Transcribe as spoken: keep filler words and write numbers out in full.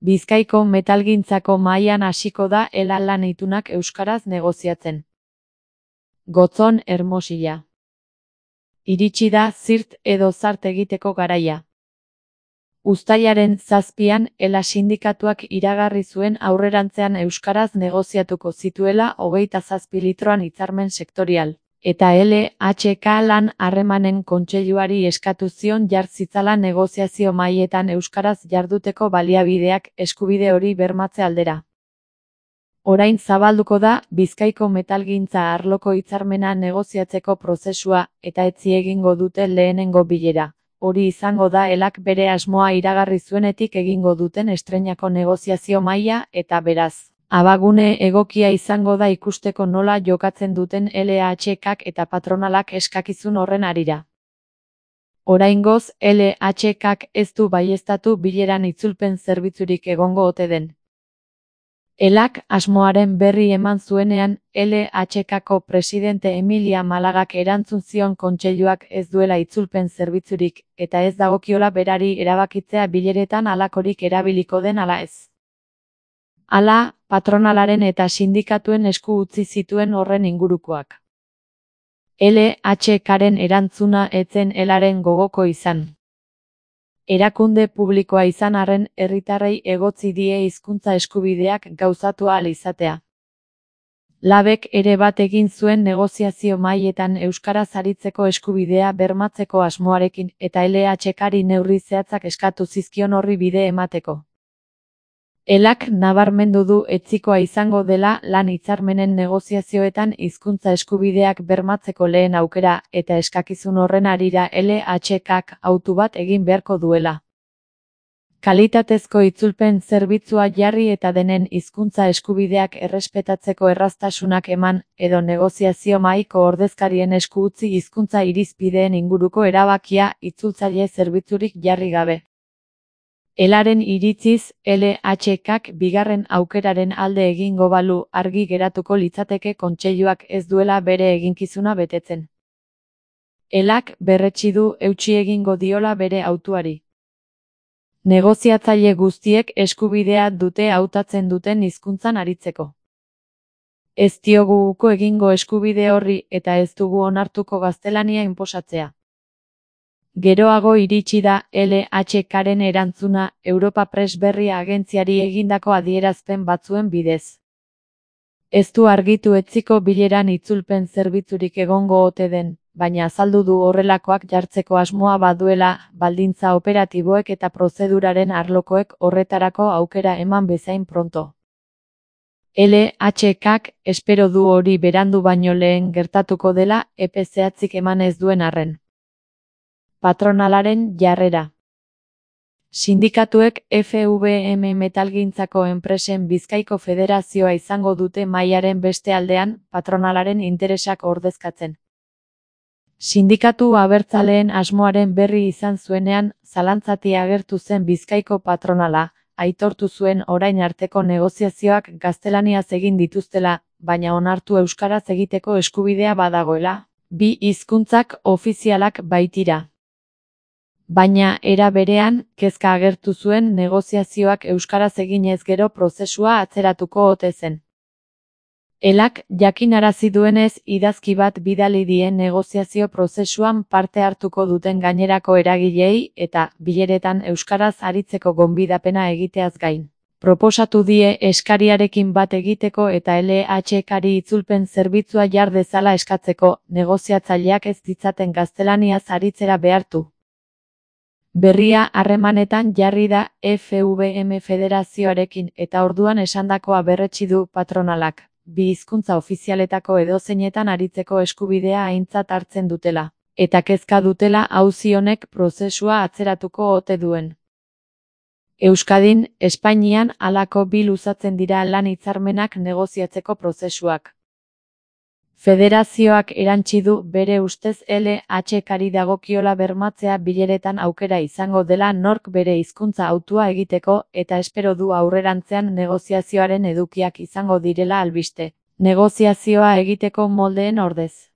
Bizkaiko metalgintzako mahaian hasiko da Ela lan itunak euskaraz negoziatzen. Gotzon Hermosilla. Iritsi da zirt edo zart egiteko garaia. Uztailaren zazpian Ela sindikatuak iragarri zuen aurrerantzean euskaraz negoziatuko zituela hogeita zazpi litroan hitzarmen sektorial, eta L H K lan harremanen kontseiluari eskatu zion jar zitzala negoziazio mahaietan euskaraz jarduteko baliabideak eskubide hori bermatze aldera. Orain zabalduko da Bizkaiko metalgintza arloko hitzarmena negoziatzeko prozesua eta etzi egingo dute lehenengo bilera. Hori izango da Elak bere asmoa iragarri zuenetik egingo duten estreinako negoziazio mahaia eta beraz, abagune egokia izango da ikusteko nola jokatzen duten L H K eta patronalak eskakizun horren harira. Oraingoz L H K ez du baieztatu bileran itzulpen zerbitzurik egongo ote den. Elak asmoaren berri eman zuenean, L H K-ko presidente Emilia Malagak erantzun zion kontseiluak ez duela itzulpen zerbitzurik, eta ez dagokiola berari erabakitzea bileretan halakorik erabiliko den ala ez. Hala, patronalaren eta sindikatuen esku utzi zituen horren ingurukoak. L H K-ren erantzuna ez zen Elaren gogoko izan. Erakunde publikoa izan arren herritarrei egotzi die hizkuntza eskubideak gauzatu ahal izatea. Labek ere bat egin zuen negoziazio mahaietan euskaraz aritzeko eskubidea bermatzeko asmoarekin eta L H K-ri neurri zehatzak eskatu zizkion horri bide emateko. Elak nabarmendu du etzikoa izango dela lan hitzarmenen negoziazioetan hizkuntza eskubideak bermatzeko lehen aukera eta eskakizun horren harira L H K autu bat egin beharko duela. Kalitatezko itzulpen zerbitzua jarri eta denen hizkuntza eskubideak errespetatzeko erraztasunak eman edo negoziazio mahaiko ordezkarien esku utzi hizkuntza irizpideen inguruko erabakia itzultzaile zerbitzurik jarri gabe. Elaren iritziz, L H K bigarren aukeraren alde egingo balu argi geratuko litzateke kontseiluak ez duela bere eginkizuna betetzen. Elak berretsi du eutsi egingo diola bere hautuari. Negoziatzaile guztiek eskubidea dute hautatzen duten hizkuntzan aritzeko. Ez diogu uko egingo eskubide horri eta ez dugu onartuko gaztelania inposatzea. Geroago iritsi da L H K-ren erantzuna Europa Press Berria agentziari egindako adierazpen batzuen bidez. Ez du argitu etziko bileran itzulpen zerbitzurik egongo ote den, baina azaldu du horrelakoak jartzeko asmoa baduela baldintza operatiboek eta prozeduraren arlokoek horretarako aukera eman bezain pronto. L H K espero du hori berandu baino lehen gertatuko dela epe zehatzik eman ez duen arren. Patronalaren jarrera. Sindikatuek F V M metalgintzako enpresen Bizkaiko Federazioa izango dute mahaiaren beste aldean patronalaren interesak ordezkatzen. Sindikatu abertzaleen asmoaren berri izan zuenean, zalantzati agertu zen Bizkaiko patronala, aitortu zuen orain arteko negoziazioak gaztelaniaz egin dituztela, baina onartu euskaraz egiteko eskubidea badagoela, bi hizkuntzak ofizialak baitira. Baina era berean, kezka agertu zuen negoziazioak euskaraz eginez gero prozesua atzeratuko ote zen. Elak jakinarazi duenez idazki bat bidali die negoziazio prozesuan parte hartuko duten gainerako eragileei eta bileretan euskaraz aritzeko gonbidapena egiteaz gain. Proposatu die eskariarekin bat egiteko eta L H K-ri itzulpen zerbitzua jar dezala eskatzeko, negoziatzaileak ez ditzaten gaztelaniaz aritzera behartu. Berria harremanetan jarri da F V M Federazioarekin eta orduan esandakoa berretsi du patronalak, bi hizkuntza ofizialetako edozeinetan aritzeko eskubidea aintzat hartzen dutela, eta kezka dutela auzi honek prozesua atzeratuko ote duen. Euskadin, Espainian halako bi luzatzen dira lan hitzarmenak negoziatzeko prozesuak. Federazioak erantsi du bere ustez L H K-ri dagokiola bermatzea bileretan aukera izango dela nork bere hizkuntza hautua egiteko eta espero du aurrerantzean negoziazioaren edukiak izango direla albiste, negoziazioa egiteko moldeen ordez.